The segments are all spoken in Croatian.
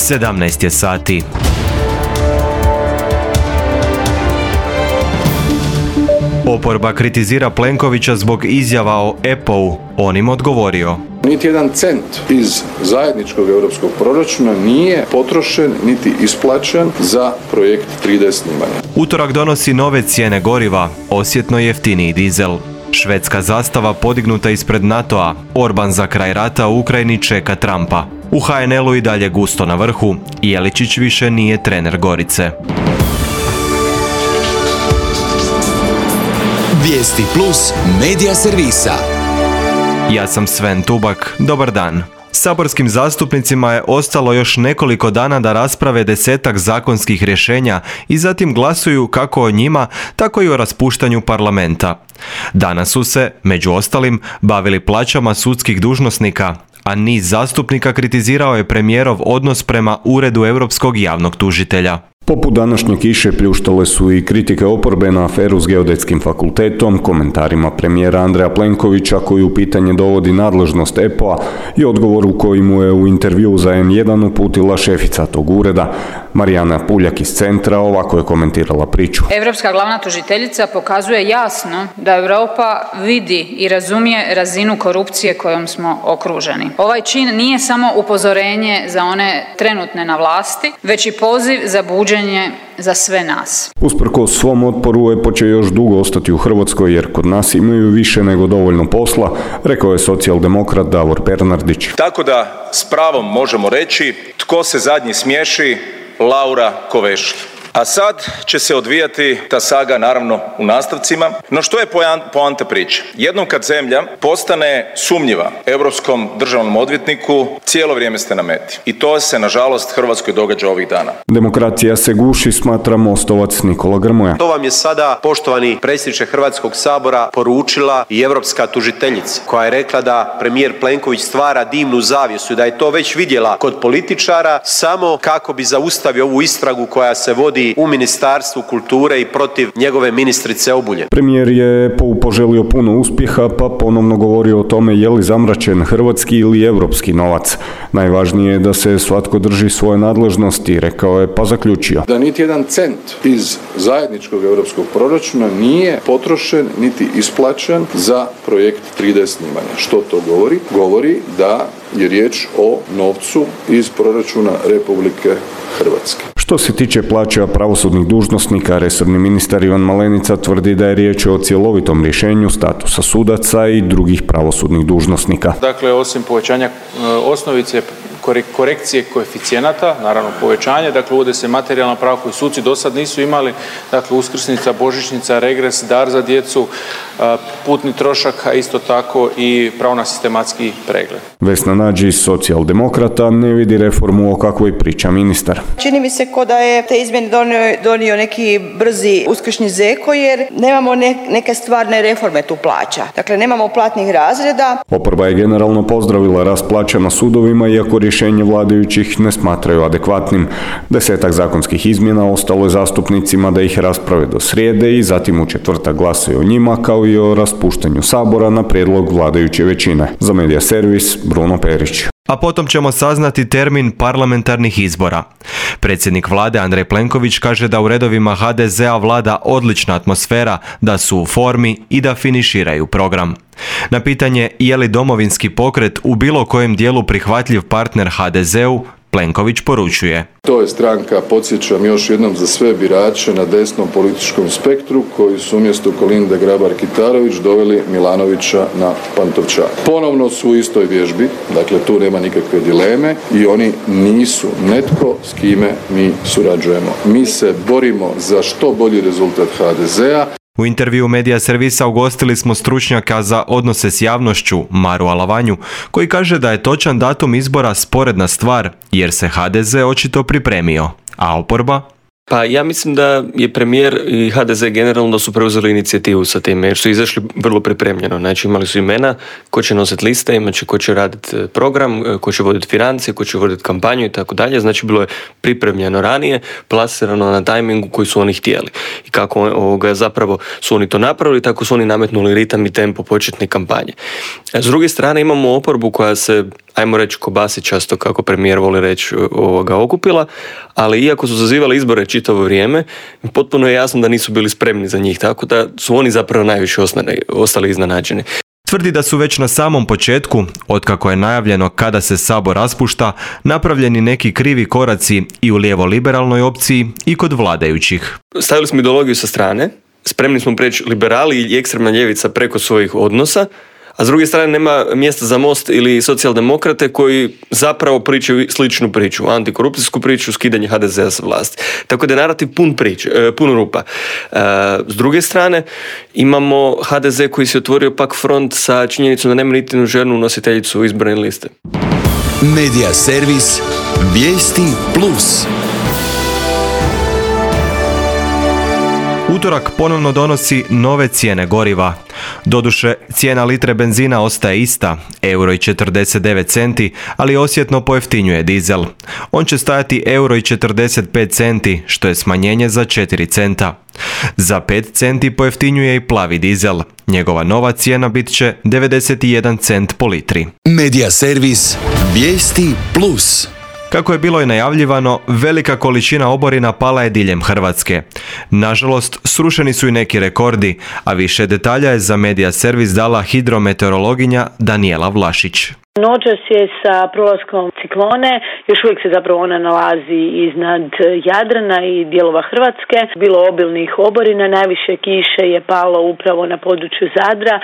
17 je sati. Oporba kritizira Plenkovića zbog izjava o EPO-u. On im odgovorio: niti jedan cent iz zajedničkog europskog proračuna nije potrošen niti isplaćen za projekt 3D snimanja. Utorak donosi nove cijene goriva, osjetno jeftiniji dizel. Švedska zastava podignuta ispred NATO-a. Orban za kraj rata u Ukrajini čeka Trumpa. U HNL-u i dalje gusto na vrhu. Jeličić više nije trener Gorice. Vijesti plus medija servisa. Ja sam Sven Tubak, dobar dan. Saborskim zastupnicima je ostalo još nekoliko dana da rasprave 10-ak zakonskih rješenja i zatim glasuju kako o njima, tako i o raspuštanju parlamenta. Danas su se, među ostalim, bavili plaćama sudskih dužnosnika, a niz zastupnika kritizirao je premijerov odnos prema Uredu europskog javnog tužitelja. Poput današnje kiše pljuštale su i kritike oporbe na aferu s Geodetskim fakultetom, komentarima premijera Andreja Plenkovića koji u pitanje dovodi nadležnost EPO-a i odgovor u kojemu je u intervju za N1 uputila šefica tog ureda. Marijana Puljak iz Centra ovako je komentirala priču. Europska glavna tužiteljica pokazuje jasno da Europa vidi i razumije razinu korupcije kojom smo okruženi. Ovaj čin nije samo upozorenje za one trenutne na vlasti, već i poziv za buđenje za sve nas. Usprkos svom otporu EPO će još dugo ostati u Hrvatskoj jer kod nas imaju više nego dovoljno posla, rekao je socijaldemokrat Davor Bernardić. Tako da s pravom možemo reći tko se zadnji smiješi, Laura Kovešlj. A sad će se odvijati ta saga naravno u nastavcima. No što je poanta priče? Jednom kad zemlja postane sumnjiva Europskom državnom odvjetniku, cijelo vrijeme ste na meti. I to se nažalost Hrvatskoj događa ovih dana. Demokracija se guši, smatra Mostovac Nikola Grmoja. To vam je sada, poštovani predsjedniče Hrvatskog sabora, poručila i europska tužiteljica koja je rekla da premijer Plenković stvara dimnu zavjesu i da je to već vidjela kod političara samo kako bi zaustavio ovu istragu koja se vodi u Ministarstvu kulture i protiv njegove ministrice Obuljen. Premijer je poželio puno uspjeha pa ponovno govorio o tome je li zamračen hrvatski ili europski novac. Najvažnije je da se svatko drži svoje nadležnosti, rekao je pa zaključio da niti jedan cent iz zajedničkog europskog proračuna nije potrošen niti isplaćen za projekt 3D snimanja. Što to govori? Govori da je riječ o novcu iz proračuna Republike Hrvatske. Što se tiče plaća pravosudnih dužnosnika, resorni ministar Ivan Malenica tvrdi da je riječ o cjelovitom rješenju statusa sudaca i drugih pravosudnih dužnosnika. Dakle, osim povećanja osnovice, korekcije koeficijenata, naravno povećanje, dakle uvode se materijalna prava koju suci do sad nisu imali, dakle uskrsnica, božićnica, regres, dar za djecu, putni trošak, a isto tako i pravo na sistematski pregled. Vesna Nađi, socijaldemokrata, ne vidi reformu o kakvoj priča ministar. Čini mi se ko da je te izmjene donio neki brzi uskršnji zeko jer nemamo neke stvarne reforme tu plaća. Dakle, nemamo platnih razreda. Oporba je generalno pozdravila rast plaća na sudovima, iako rješenje vladajućih ne smatraju adekvatnim. 10-ak zakonskih izmjena ostalo je zastupnicima da ih rasprave do srijede i zatim u četvrtak glasaju o njima, kao i o raspuštanju Sabora na prijedlog vladajuće većine. Za Medija servis, Bruno Perić. A potom ćemo saznati termin parlamentarnih izbora. Predsjednik vlade Andrej Plenković kaže da u redovima HDZ-a vlada odlična atmosfera, da su u formi i da finiširaju program. Na pitanje je li Domovinski pokret u bilo kojem dijelu prihvatljiv partner HDZ-u, Plenković poručuje: to je stranka, podsjećam još jednom za sve birače na desnom političkom spektru koji su umjesto Kolinde Grabar-Kitarović doveli Milanovića na Pantovčak. Ponovno su u istoj vježbi, dakle tu nema nikakve dileme i oni nisu netko s kime mi surađujemo. Mi se borimo za što bolji rezultat HDZ-a. U intervju Medija servisa ugostili smo stručnjaka za odnose s javnošću, Maru Alavanju, koji kaže da je točan datum izbora sporedna stvar, jer se HDZ očito pripremio, a oporba? Pa ja mislim da je premijer i HDZ generalno su preuzeli inicijativu sa time jer su izašli vrlo pripremljeno. Znači imali su imena ko će nositi liste, imat će ko će raditi program, ko će voditi financije, ko će voditi kampanju i tako dalje. Znači bilo je pripremljeno ranije, plasirano na tajmingu koji su oni htjeli. I kako zapravo su oni to napravili, tako su oni nametnuli ritam i tempo početne kampanje. S druge strane imamo oporbu koja se ajmo reći kobasičasto, kako premijer voli reći, okupila, ali iako su zazivali izbore čitavo vrijeme, potpuno je jasno da nisu bili spremni za njih, tako da su oni zapravo najviše ostali iznenađeni. Tvrdi da su već na samom početku, otkako je najavljeno kada se Sabor raspušta, napravljeni neki krivi koraci i u lijevo-liberalnoj opciji i kod vladajućih. Stavili smo ideologiju sa strane, spremni smo preći liberali i ekstremna ljevica preko svojih odnosa, a s druge strane nema mjesta za Most ili socijaldemokrate koji zapravo pričaju sličnu priču, antikorupcijsku priču, skidanje HDZ-a sa vlasti. Tako da je narativ pun rupa. S druge strane imamo HDZ koji se otvorio pak front sa činjenicom da nema niti jednu ženu nositeljicu izborne liste. Medija servis Vijesti Plus. Utorak ponovno donosi nove cijene goriva. Doduše, cijena litre benzina ostaje ista, €1,49, ali osjetno pojeftinjuje dizel. On će stajati €1,45, što je smanjenje za 4 centa. Za 5 centi pojeftinjuje i plavi dizel. Njegova nova cijena bit će 91 cent po litri. Medija servis Vijesti Plus. Kako je bilo i najavljivano, velika količina oborina pala je diljem Hrvatske. Nažalost, srušeni su i neki rekordi, a više detalja je za Medija servis dala hidrometeorologinja Danijela Vlašić. Noćas je sa prolaskom ciklone, još uvijek se zapravo ona nalazi iznad Jadrana i dijelova Hrvatske. Bilo obilnih oborina, najviše kiše je palo upravo na području Zadra,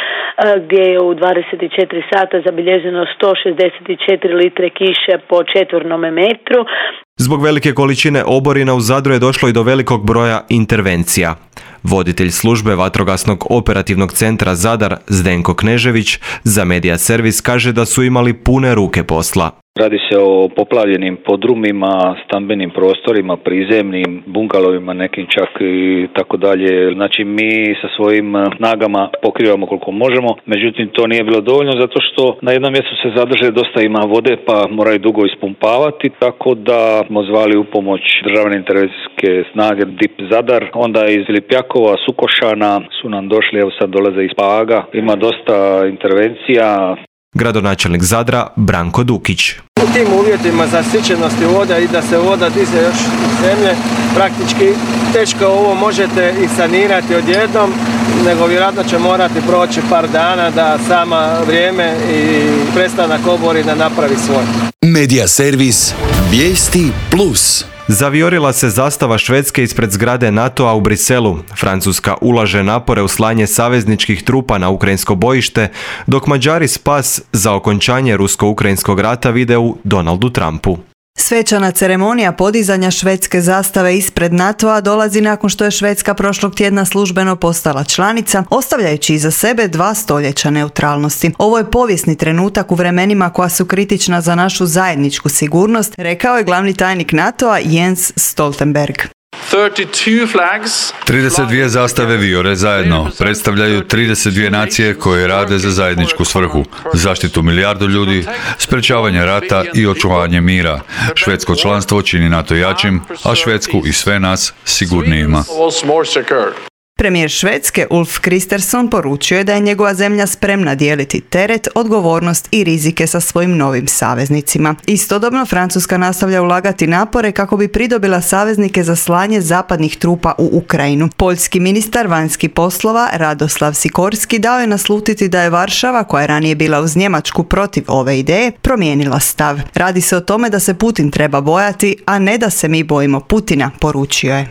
gdje je u 24 sata zabilježeno 164 litre kiše po četvornome metru. Zbog velike količine oborina u Zadru je došlo i do velikog broja intervencija. Voditelj službe Vatrogasnog operativnog centra Zadar Zdenko Knežević za Medija servis kaže da su imali pune ruke posla. Radi se o poplavljenim podrumima, stambenim prostorima, prizemnim, bungalovima, nekim čak i tako dalje. Znači mi sa svojim snagama pokrivamo koliko možemo, međutim to nije bilo dovoljno zato što na jednom mjestu se zadrže dosta ima vode pa moraju dugo ispumpavati, tako da smo zvali u pomoć državne intervencijske snage DIP Zadar, onda iz Lipjakova, Sukošana su nam došli, evo sad dolaze iz Paga, ima dosta intervencija. Gradonačelnik Zadra Branko Dukić. U tim uvjetima zasićenosti voda i da se voda diže još iz zemlje, praktički teško ovo možete i sanirati odjednom, nego vjerojatno će morati proći par dana da sama vrijeme i prestanak oborina napravi svoje. Medija servis Vijesti Plus. Zavijorila se zastava Švedske ispred zgrade NATO-a u Briselu. Francuska ulaže napore u slanje savezničkih trupa na ukrajinsko bojište, dok Mađari spas za okončanje rusko-ukrajinskog rata vide u Donaldu Trumpu. Svečana ceremonija podizanja švedske zastave ispred NATO-a dolazi nakon što je Švedska prošlog tjedna službeno postala članica, ostavljajući iza sebe 2 stoljeća neutralnosti. Ovo je povijesni trenutak u vremenima koja su kritična za našu zajedničku sigurnost, rekao je glavni tajnik NATO-a Jens Stoltenberg. 32 zastave vijore zajedno predstavljaju 32 nacije koje rade za zajedničku svrhu, zaštitu milijardu ljudi, sprečavanje rata i očuvanje mira. Švedsko članstvo čini NATO jačim, a Švedsku i sve nas sigurnijima. Premijer Švedske Ulf Kristersson poručio je da je njegova zemlja spremna dijeliti teret, odgovornost i rizike sa svojim novim saveznicima. Istodobno Francuska nastavlja ulagati napore kako bi pridobila saveznike za slanje zapadnih trupa u Ukrajinu. Poljski ministar vanjskih poslova Radoslav Sikorski dao je naslutiti da je Varšava, koja je ranije bila uz Njemačku protiv ove ideje, promijenila stav. Radi se o tome da se Putin treba bojati, a ne da se mi bojimo Putina, poručio je.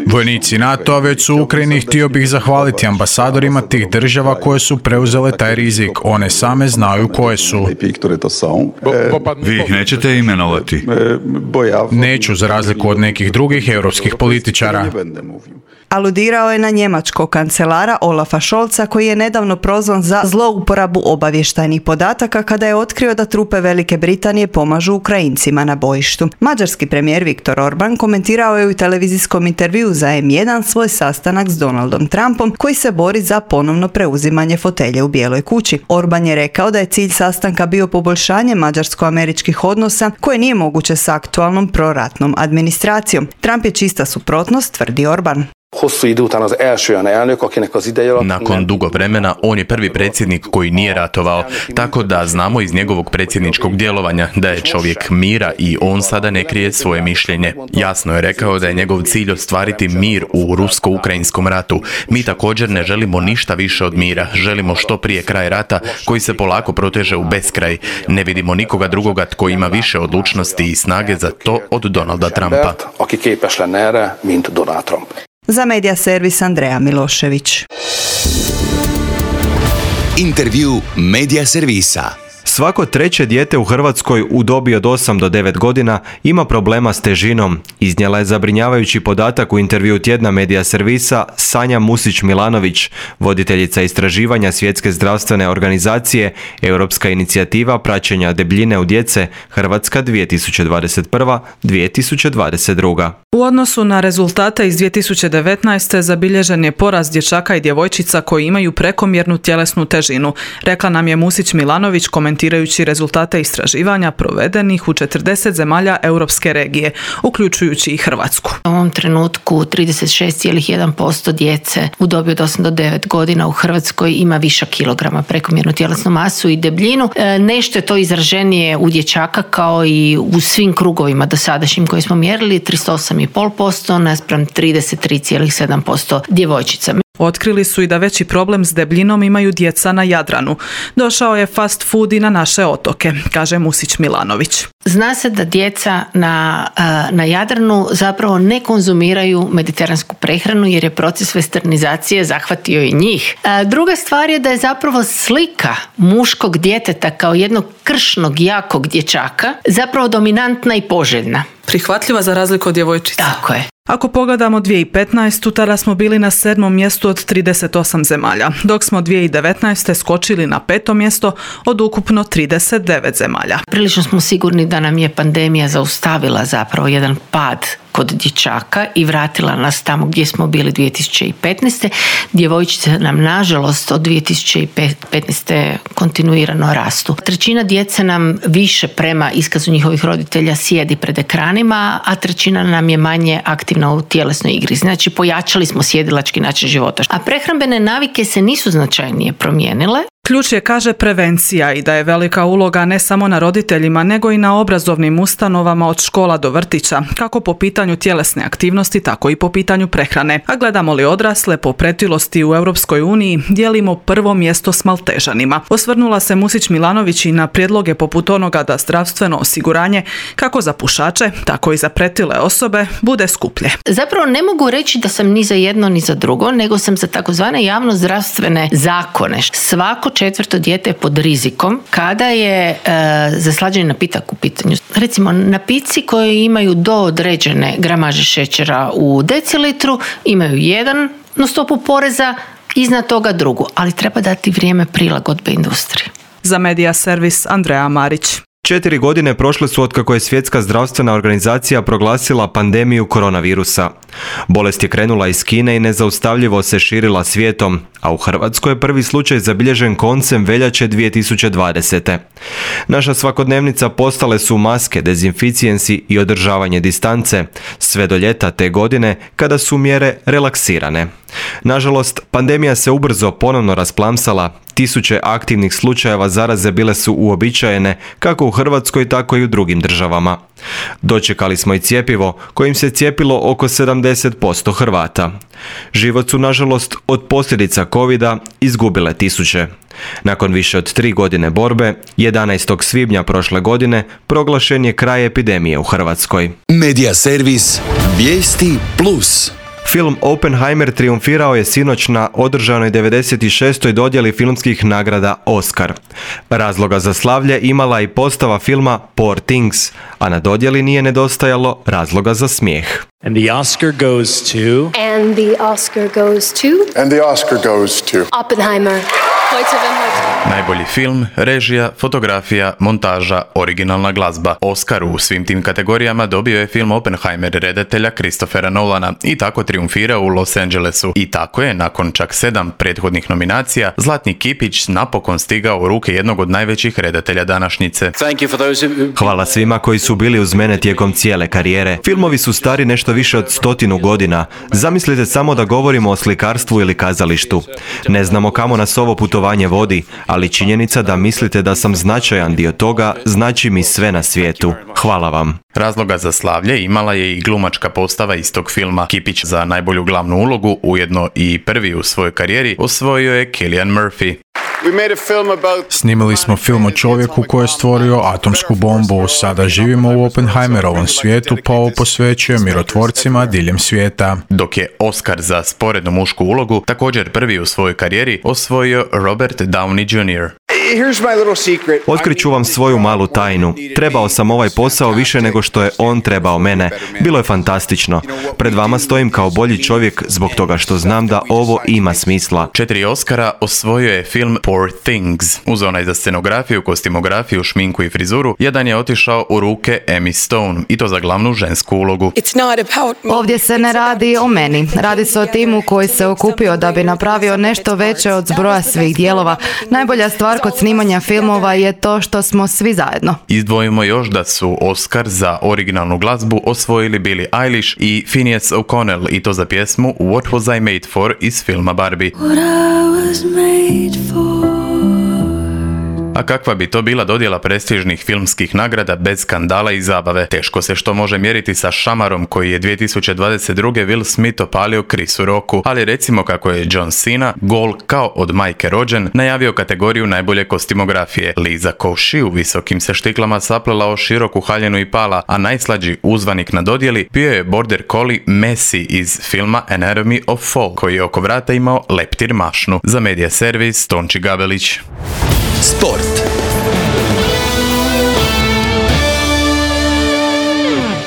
Vojnici NATO-a već su u Ukrajini, htio bih zahvaliti ambasadorima tih država koje su preuzele taj rizik. One same znaju koje su. Vi ih nećete imenovati? Neću, za razliku od nekih drugih europskih političara. Aludirao je na njemačkog kancelara Olafa Scholza, koji je nedavno prozvan za zlouporabu obavještajnih podataka kada je otkrio da trupe Velike Britanije pomažu Ukrajincima na bojištu. Mađarski premijer Viktor Orban komentirao je u televizijskom intervjuu za M1 svoj sastanak s Donaldom Trumpom, koji se bori za ponovno preuzimanje fotelje u Bijeloj kući. Orban je rekao da je cilj sastanka bio poboljšanje mađarsko-američkih odnosa koje nije moguće s aktualnom proratnom administracijom. Trump je čista suprotnost, tvrdi Orban. Nakon dugo vremena on je prvi predsjednik koji nije ratovao, tako da znamo iz njegovog predsjedničkog djelovanja da je čovjek mira i on sada ne krije svoje mišljenje. Jasno je rekao da je njegov cilj ostvariti mir u rusko-ukrajinskom ratu. Mi također ne želimo ništa više od mira. Želimo što prije kraj rata koji se polako proteže u beskraj. Ne vidimo nikoga drugoga tko ima više odlučnosti i snage za to od Donalda Trumpa. Za medija servis Andreja Milošević. Intervju medija servisa. Svako treće dijete u Hrvatskoj u dobi od 8 do 9 godina ima problema s težinom. Iznijela je zabrinjavajući podatak u intervju tjedna medija servisa Sanja Musić-Milanović, voditeljica istraživanja Svjetske zdravstvene organizacije Europska inicijativa praćenja debljine u djece Hrvatska 2021-2022. U odnosu na rezultate iz 2019. zabilježen je porast dječaka i djevojčica koji imaju prekomjernu tjelesnu težinu, rekla nam je Musić-Milanović komentirajući rezultate istraživanja provedenih u 40 zemalja europske regije, uključujući i Hrvatsku. U ovom trenutku 36,1% djece u dobi od 8 do 9 godina u Hrvatskoj ima višak kilograma prekomjernu tjelesnu masu i debljinu. Nešto je to izraženije u dječaka kao i u svim krugovima dosadašnjim koje smo mjerili, 38,5% naspram 33,7% djevojčica. Otkrili su i da veći problem s debljinom imaju djeca na Jadranu. Došao je fast food i na naše otoke, kaže Musić-Milanović. Zna se da djeca na Jadranu zapravo ne konzumiraju mediteransku prehranu jer je proces westernizacije zahvatio i njih. Druga stvar je da je zapravo slika muškog djeteta kao jednog kršnog, jakog dječaka zapravo dominantna i poželjna. Prihvatljiva za razliku od djevojčica. Tako je. Ako pogledamo 2015. tada smo bili na 7. mjestu od 38 zemalja, dok smo 2019. skočili na 5. mjesto od ukupno 39 zemalja. Prilično smo sigurni da nam je pandemija zaustavila zapravo jedan pad kod dječaka i vratila nas tamo gdje smo bili 2015. Djevojčice nam nažalost od 2015. kontinuirano rastu. Trećina djece nam više prema iskazu njihovih roditelja sjedi pred ekranima, a trećina nam je manje aktivna u tjelesnoj igri. Znači pojačali smo sjedilački način života. A prehrambene navike se nisu značajnije promijenile. Ključ je, kaže, prevencija i da je velika uloga ne samo na roditeljima, nego i na obrazovnim ustanovama od škola do vrtića, kako po pitanju tjelesne aktivnosti, tako i po pitanju prehrane. A gledamo li odrasle, po pretilosti u Europskoj uniji dijelimo prvo mjesto s Maltežanima. Osvrnula se Musić-Milanović i na prijedloge poput onoga da zdravstveno osiguranje, kako za pušače, tako i za pretile osobe, bude skuplje. Zapravo ne mogu reći da sam ni za jedno ni za drugo, nego sam za takozvane javnozdravstvene zakone. Svako 4. dijete je pod rizikom kada je zaslađeni napitak u pitanju. Recimo, napici koji imaju do određene gramaže šećera u decilitru imaju jedan no stopu poreza, iznad toga drugu, ali treba dati vrijeme prilagodbe industriji. Za medija servis Andreja Marić. 4 godine prošle su otkako je Svjetska zdravstvena organizacija proglasila pandemiju koronavirusa. Bolest je krenula iz Kine i nezaustavljivo se širila svijetom, a u Hrvatskoj je prvi slučaj zabilježen koncem veljače 2020. Naša svakodnevnica postale su maske, dezinficijensi i održavanje distance, sve do ljeta te godine kada su mjere relaksirane. Nažalost, pandemija se ubrzo ponovno rasplamsala, tisuće aktivnih slučajeva zaraze bile su uobičajene kako u Hrvatskoj, tako i u drugim državama. Dočekali smo i cjepivo, kojim se cijepilo oko 70% Hrvata. Život su, nažalost, od posljedica covida izgubile tisuće. Nakon više od 3 godine borbe, 11. svibnja prošle godine proglašen je kraj epidemije u Hrvatskoj. Medija servis Vijesti Plus. Film Oppenheimer triumfirao je sinoć na održanoj 96. dodjeli filmskih nagrada Oscar. Razloga za slavlje imala i postava filma Poor Things, a na dodjeli nije nedostajalo razloga za smijeh. And the Oscar goes to... And the Oscar goes to... And the Oscar goes to... Oppenheimer. Heute Najbolji film, režija, fotografija, montaža, originalna glazba. Oscar u svim tim kategorijama dobio je film Oppenheimer redatelja Christophera Nolana i tako triumfirao u Los Angelesu. I tako je, nakon čak 7 prethodnih nominacija, Zlatni kipić napokon stigao u ruke jednog od najvećih redatelja današnjice. Hvala svima koji su bili uz mene tijekom cijele karijere. Filmovi su stari nešto više od 100 godina. Zamislite samo da govorimo o slikarstvu ili kazalištu. Ne znamo kamo nas ovo putovanje vodi, ali činjenica da mislite da sam značajan dio toga znači mi sve na svijetu. Hvala vam. Razloga za slavlje imala je i glumačka postava iz tog filma. Kipić za najbolju glavnu ulogu, ujedno i prvi u svojoj karijeri, osvojio je Cillian Murphy. Snimili smo film o čovjeku koji je stvorio atomsku bombu. Sada živimo u Oppenheimerovom svijetu, pa ovo posvećuje mirotvorcima diljem svijeta. Dok je Oscar za sporednu mušku ulogu, također prvi u svojoj karijeri, osvojio Robert Downey Jr. Otkriću vam svoju malu tajnu. Trebao sam ovaj posao više nego što je on trebao mene. Bilo je fantastično. Pred vama stojim kao bolji čovjek zbog toga što znam da ovo ima smisla. 4 Oscara osvojio je film Poor Things. Uz onaj za scenografiju, kostimografiju, šminku i frizuru, jedan je otišao u ruke Emmy Stone, i to za glavnu žensku ulogu. Ovdje se ne radi o meni. Radi se o timu koji se okupio da bi napravio nešto veće od zbroja svih dijelova. Najbolja stvar kod snimanja filmova je to što smo svi zajedno. Izdvojimo još da su Oscar za originalnu glazbu osvojili Billie Eilish i Phineas O'Connell, i to za pjesmu What Was I Made For iz filma Barbie. A kakva bi to bila dodjela prestižnih filmskih nagrada bez skandala i zabave? Teško se što može mjeriti sa šamarom koji je 2022. Will Smith opalio Chrisu Rocku, ali recimo kako je John Cena, gol kao od majke rođen, najavio kategoriju najbolje kostimografije. Liza Koshy u visokim se štiklama saplela o široku haljenu i pala, a najslađi uzvanik na dodjeli bio je border collie Messi iz filma Anatomy of Fall, koji je oko vrata imao leptir mašnu. Za Medija servis, Tonči Gabelić. Sport.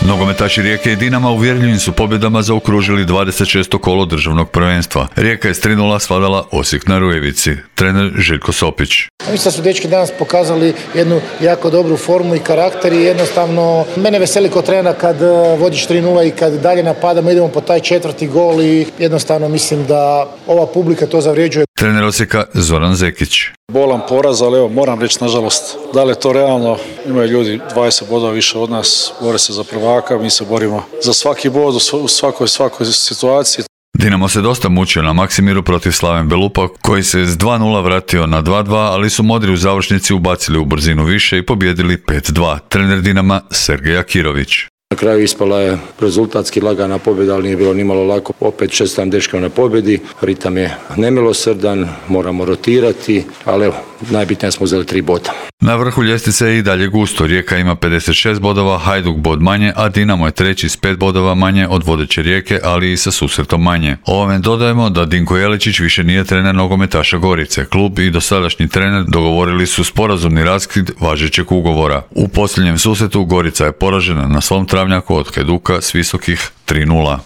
Nogometaši Rijeke i Dinama uvjerljivim su pobjedama zaokružili 26. kolo državnog prvenstva. Rijeka je s 3:0 svladala Osijek na Rujevici. Trener Željko Sopić. Mislim da su dečki danas pokazali jednu jako dobru formu i karakter i jednostavno mene veseli kao trenera kad vodiš 3:0 i kad dalje napadamo, idemo po taj 4. gol i jednostavno mislim da ova publika to zavređuje. Trener Osijeka Zoran Zekić. Bolan poraz, ali evo, moram reći, nažalost, da li je to realno? Imaju ljudi 20 bodova više od nas, bore se za prvaka, mi se borimo za svaki bod u svakoj situaciji. Dinamo se dosta mučio na Maksimiru protiv Slaven Belupa, koji se s 2:0 vratio na 2:2, ali su modri u završnici ubacili u brzinu više i pobjedili 5:2. Trener Dinama Sergej Akirović. Na kraju ispala je rezultatski lagana pobjeda, ali nije bilo nimalo lako. Opet čestitam dečkama na pobjedi. Ritam je nemilosrdan, moramo rotirati, ali evo, najbitnije smo uzeli 3 boda. Na vrhu ljestvice je i dalje gusto. Rijeka ima 56 bodova, Hajduk bod manje, a Dinamo je treći s 5 bodova manje od vodeće Rijeke, ali i sa susretom manje. Ovome dodajemo da Dinko Jeličić više nije trener nogometaša Gorice. Klub i dosadašnji trener dogovorili su sporazumni raskid važećeg ugovora. U posljednjem susretu Gorica je poražena na svom travnjaku od Hajduka s visokih 3:0.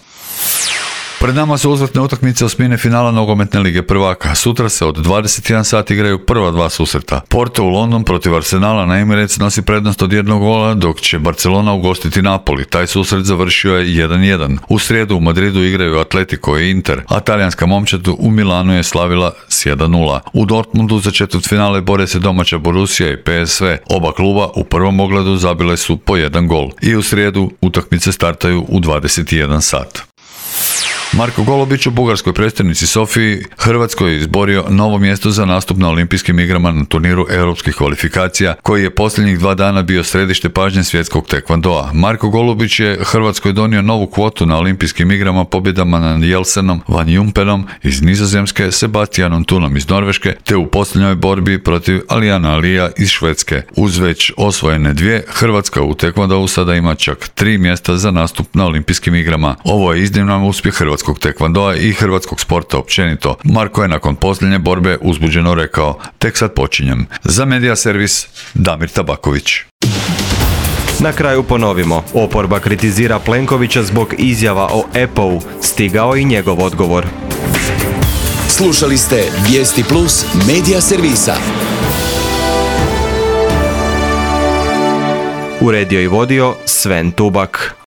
Pred nama su uzvratne utakmice osmine finala nogometne lige prvaka. Sutra se od 21 sat igraju prva 2 susreta. Porto u London protiv Arsenala na Emirates nosi prednost od 1 gola, dok će Barcelona ugostiti Napoli. Taj susret završio je 1:1. U srijedu u Madridu igraju Atletico i Inter, a talijanska momčad u Milanu je slavila s 1:0. U Dortmundu za četvrtfinale bore se domaća Borussia i PSV. Oba kluba u prvom ogledu zabile su po 1 gol. I u srijedu utakmice startaju u 21 sat. Marko Golubić u bugarskoj prestonici Sofiji Hrvatskoj izborio novo mjesto za nastup na olimpijskim igrama na turniru europskih kvalifikacija, koji je posljednjih 2 dana bio središte pažnje svjetskog tekvandoa. Marko Golubić je Hrvatskoj donio novu kvotu na olimpijskim igrama pobjedama nad Jelsenom Van Jumpenom iz Nizozemske, Sebastianom Tunom iz Norveške, te u posljednjoj borbi protiv Alijana Alija iz Švedske. Uz već osvojene 2, Hrvatska u tekvandou sada ima čak 3 mjesta za nastup na olimpijskim igrama. Ovo je izniman uspjeh hrvatskog tekvandoa i hrvatskog sporta općenito. Marko je nakon posljednje borbe uzbuđeno rekao: "Tek sad počinjem." Za Medija servis, Damir Tabaković. Na kraju ponovimo. Oporba kritizira Plenkovića zbog izjava o EPO-u. Stigao i njegov odgovor. Slušali ste Vijesti Plus Medija servisa. Uredio i vodio Sven Tubak.